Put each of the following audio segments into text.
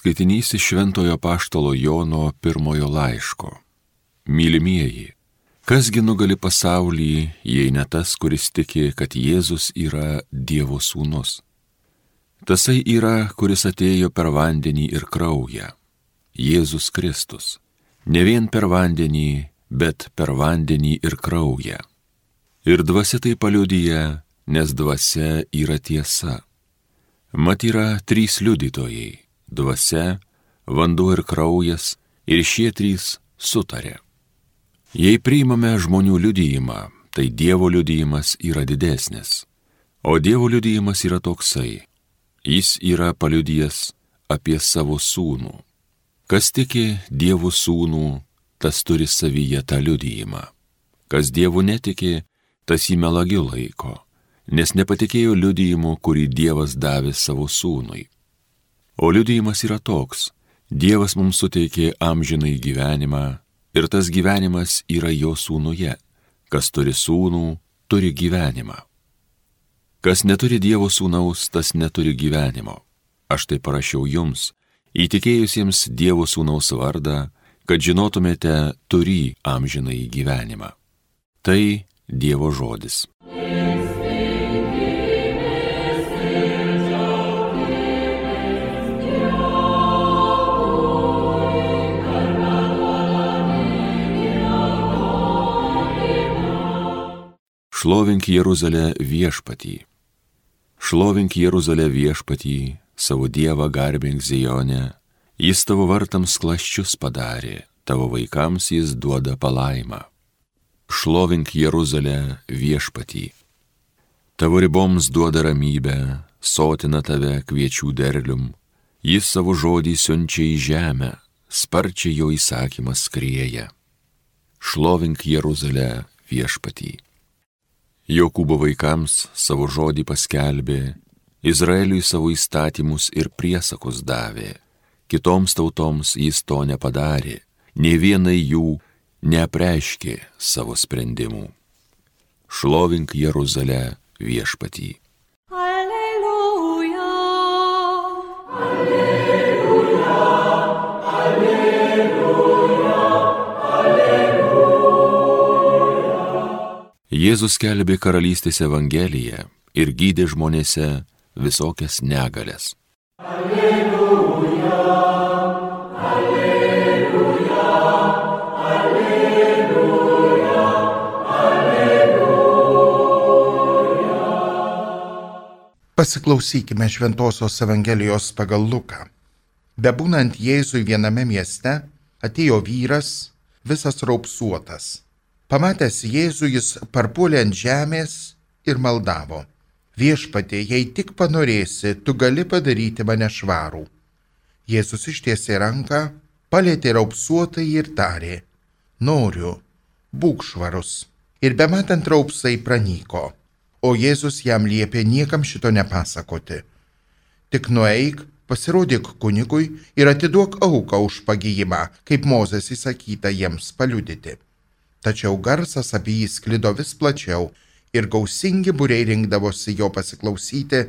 Skaitinys iš Šventojo Apaštalo Jono pirmojo laiško. Mylimieji, kasgi nugali pasaulį, jei ne tas, kuris tiki, kad Jėzus yra Dievo sūnus? Tasai yra, kuris atėjo per vandenį ir kraują. Jėzus Kristus. Ne vien per vandenį, bet per vandenį ir kraują. Ir dvasia tai paliudija, nes dvasia yra tiesa. Mat yra trys liudytojai. Dvasia, vanduo ir kraujas, ir šie trys sutarė. Jei priimame žmonių liudijimą, tai Dievo liudijimas yra didesnis. O Dievo liudijimas yra toksai. Jis yra paliudijęs apie savo sūnų. Kas tiki Dievo sūnų, tas turi savyje tą liudijimą. Kas Dievu netiki, tas jį melagiu laiko, nes nepatikėjo liudijimu, kurį Dievas davė savo sūnui. O liudijimas yra toks: Dievas mums suteikė amžinai gyvenimą, ir tas gyvenimas yra jo sūnuje. Kas turi sūnų, turi gyvenimą. Kas neturi Dievo sūnaus, tas neturi gyvenimo. Aš tai parašiau jums, įtikėjusiems Dievo sūnaus vardą, kad žinotumėte turį amžinai gyvenimą. Tai Dievo žodis. Šlovink Jeruzalę viešpatį. Šlovink Jeruzalę viešpatį, savo Dievą garbink Zione. Jis tavo vartams klasčius padarė, tavo vaikams jis duoda palaimą. Šlovink Jeruzalę viešpatį. Tavo riboms duoda ramybę, sotina tave kviečių derlium. Jis savo žodį siunčia į žemę, sparčiai jo įsakymas skrieja. Šlovink Jeruzalę viešpatį. Jokūbo vaikams savo žodį paskelbė, Izraeliui savo įstatymus ir priesakus davė. Kitoms tautoms jis to nepadarė, nė vienai jų neapreiškė savo sprendimų. Šlovink Jeruzalę viešpatį. Alleluja, alleluja, alleluja, alleluja. Jėzus skelbė karalystės evangeliją ir gydė žmonėse visokias negalias. Alleluja, alleluja, alleluja, alleluja. Pasiklausykime Šventosios Evangelijos pagal Luką. Bebūnant Jėzui viename mieste, atėjo vyras, visas raupsuotas. Pamatęs Jėzų, jis parpuolė ant žemės ir maldavo: Viešpatie, jei tik panorėsi, tu gali padaryti mane švarų. Jėzus ištiesė ranką, palietė raupsuotąjį ir tarė: Noriu, būk švarus. Ir bematant raupsai pranyko. O Jėzus jam liepė niekam šito nepasakoti. Tik nueik, pasirodyk kunigui ir atiduok auką už pagijimą, kaip Mozės įsakyta jiems paliudyti. Tačiau garsas apie jį sklido vis plačiau ir gausingi būriai rinkdavosi jo pasiklausyti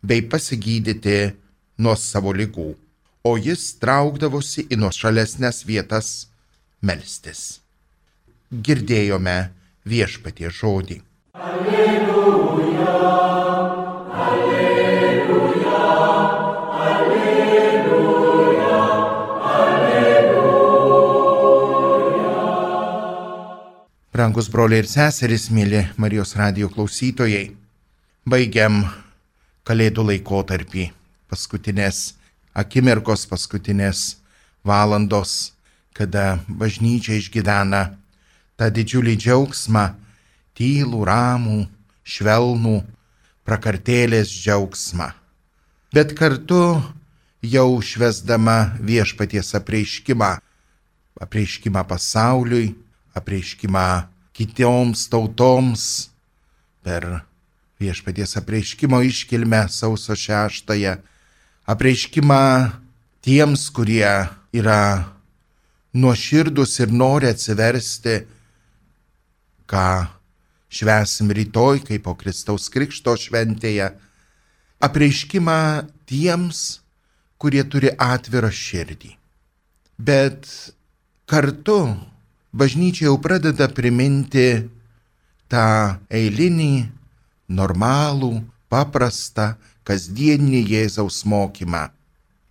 bei pasigydyti nuo savo ligų, o jis traukdavosi į nuošalesnes vietas melstis. Girdėjome Viešpaties žodį. Alleluja, alleluja, alleluja, alleluja. Brangus broliai ir seserys, mėly Marijos radijo klausytojai, baigiam Kalėdų laikotarpį, paskutinės akimirkos, paskutinės valandos, kada bažnyčia išgyvena tą didžiulį džiaugsmą, tylų, ramų, švelnų, prakartėlės džiaugsmą. Bet kartu jau švęsdama Viešpaties apreiškimą pasauliui, apreiškimą kitoms tautoms, per Viešpaties apreiškimo iškilmę sausio 6, apreiškimą tiems, kurie yra nuoširdus ir nori atsiversti, ką švęsim rytoj, kaip po Kristaus Krikšto šventėje, apreiškimą tiems, kurie turi atvirą širdį. Bet kartu bažnyčia jau pradeda priminti tą eilinį, normalų, paprastą, kasdieninį Jėzaus mokymą.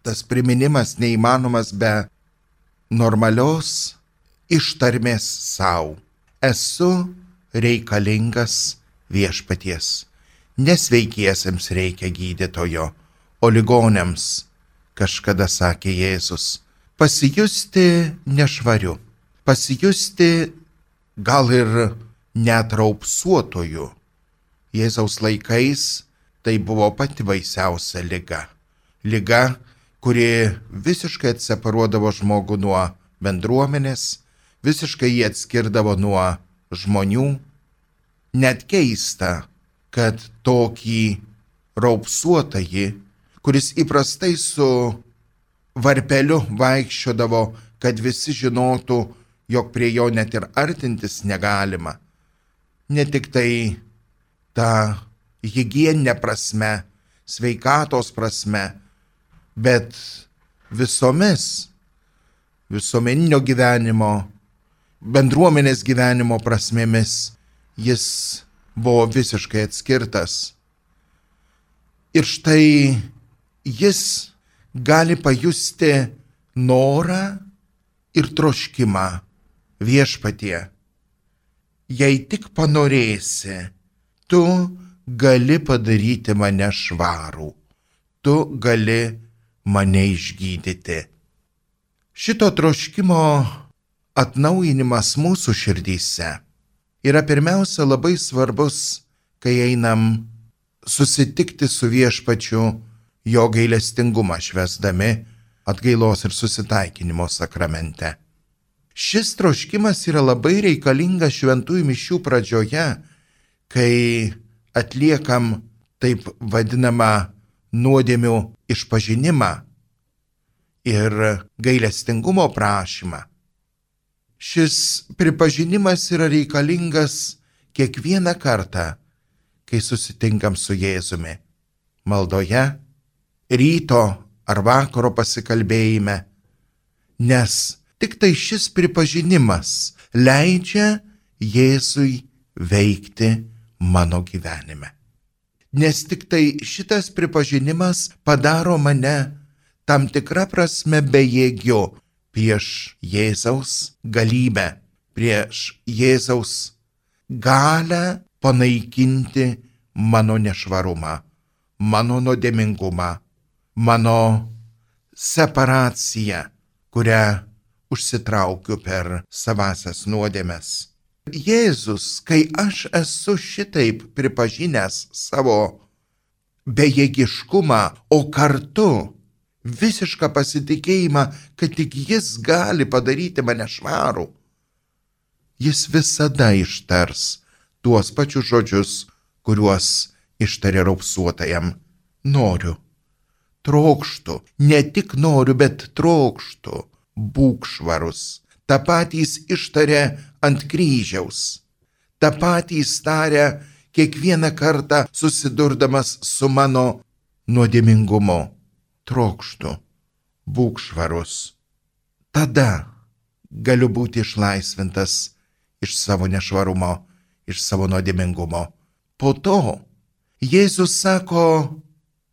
Tas priminimas neįmanomas be normalios ištarmės savo. Esu reikalingas viešpaties. Nesveikiesiems reikia gydytojo, o ligoniams, kažkada sakė Jėzus, pasijusti nešvariu, pasijusti gal ir net raupsuotoju. Jėzaus laikais tai buvo pati baisiausia liga. Liga, kuri visiškai atseparuodavo žmogų nuo bendruomenės, visiškai jį atskirdavo nuo žmonių. Net keista, kad tokį raupsuotąjį, kuris įprastai su varpeliu vaikščiodavo, kad visi žinotų, jog prie jo net ir artintis negalima. Ne tik tai ta higieninė prasme, sveikatos prasme, bet visomis visuomeninio gyvenimo, bendruomenės gyvenimo prasmėmis jis buvo visiškai atskirtas. Ir štai jis gali pajusti norą ir troškimą viešpatie. Jei tik panorėsi, tu gali padaryti mane švarų, tu gali mane išgydyti. Šito troškimo atnaujinimas mūsų širdyse yra pirmiausia labai svarbus, kai einam susitikti su viešpačiu jo gailestingumą švęsdami atgailos ir susitaikinimo sakramente. Šis troškimas yra labai reikalingas šventųjų mišių pradžioje, kai atliekam taip vadinamą nuodėmių išpažinimą ir gailestingumo prašymą. Šis pripažinimas yra reikalingas kiekvieną kartą, kai susitinkam su Jėzumi. Maldoje, ryto ar vakaro pasikalbėjime, nes tik tai šis pripažinimas leidžia Jėzui veikti mano gyvenime. Nes tik tai šitas pripažinimas padaro mane tam tikrą prasme bejėgiu prieš Jėzaus galybę, prieš Jėzaus galę panaikinti mano nešvarumą, mano nuodėmingumą, mano separaciją, kurią užsitraukiu per savasias nuodėmes. Jėzus, kai aš esu šitaip pripažinęs savo bejėgiškumą, o kartu visišką pasitikėjimą, kad tik jis gali padaryti mane švarų, jis visada ištars tuos pačius žodžius, kuriuos ištarė raupsuotajam. Noriu, trokštu, ne tik noriu, bet trokštu, būk švarus. Ta patys ištarė ant kryžiaus. Ta patys tarė kiekvieną kartą susidurdamas su mano nuodėmingumu. Trokštu, būk švarus. Tada galiu būti išlaisvintas iš savo nešvarumo, iš savo nuodėmingumo. Po to Jėzus sako,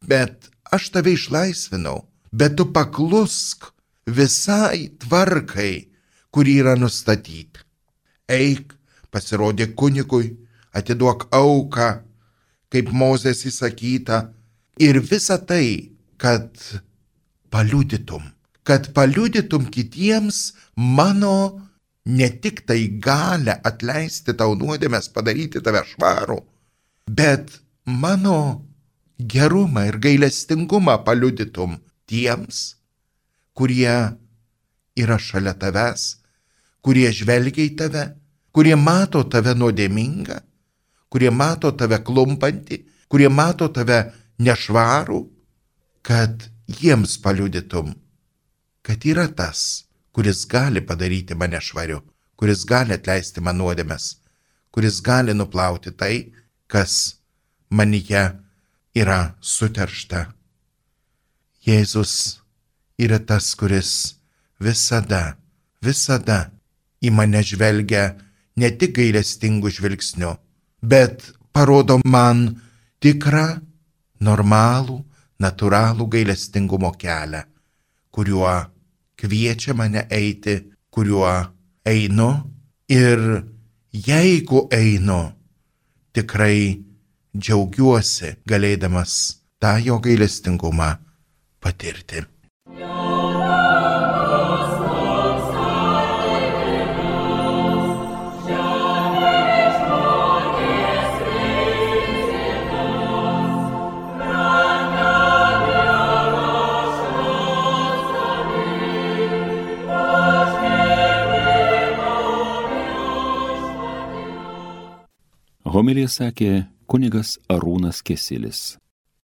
bet aš tave išlaisvinau, bet tu paklusk visai tvarkai, kuri yra nustatyti. Eik, pasirodė kunigui, atiduok auką, kaip Mozės įsakyta, ir visa tai, kad paliudytum kitiems mano ne tik tai galę atleisti tau nuodėmes, padaryti tave švarų, bet mano gerumą ir gailestingumą paliudytum tiems, kurie yra šalia tavęs, kurie žvelgia į tave, kurie mato tave nuodėmingą, kurie mato tave klumpantį, kurie mato tave nešvarų, kad jiems paliudytum, kad yra tas, kuris gali padaryti mane švariu, kuris gali atleisti man nuodėmes, kuris gali nuplauti tai, kas manyje yra suteršta. Jėzus yra tas, kuris visada į mane žvelgia ne tik gailestingų žvilgsnių, bet parodo man tikrą, normalų, natūralų gailestingumo kelią, kuriuo kviečia mane eiti, kuriuo einu ir jeigu einu, tikrai džiaugiuosi galėdamas tą jo gailestingumą patirti. Homiliją sakė kunigas Arūnas Kesilis.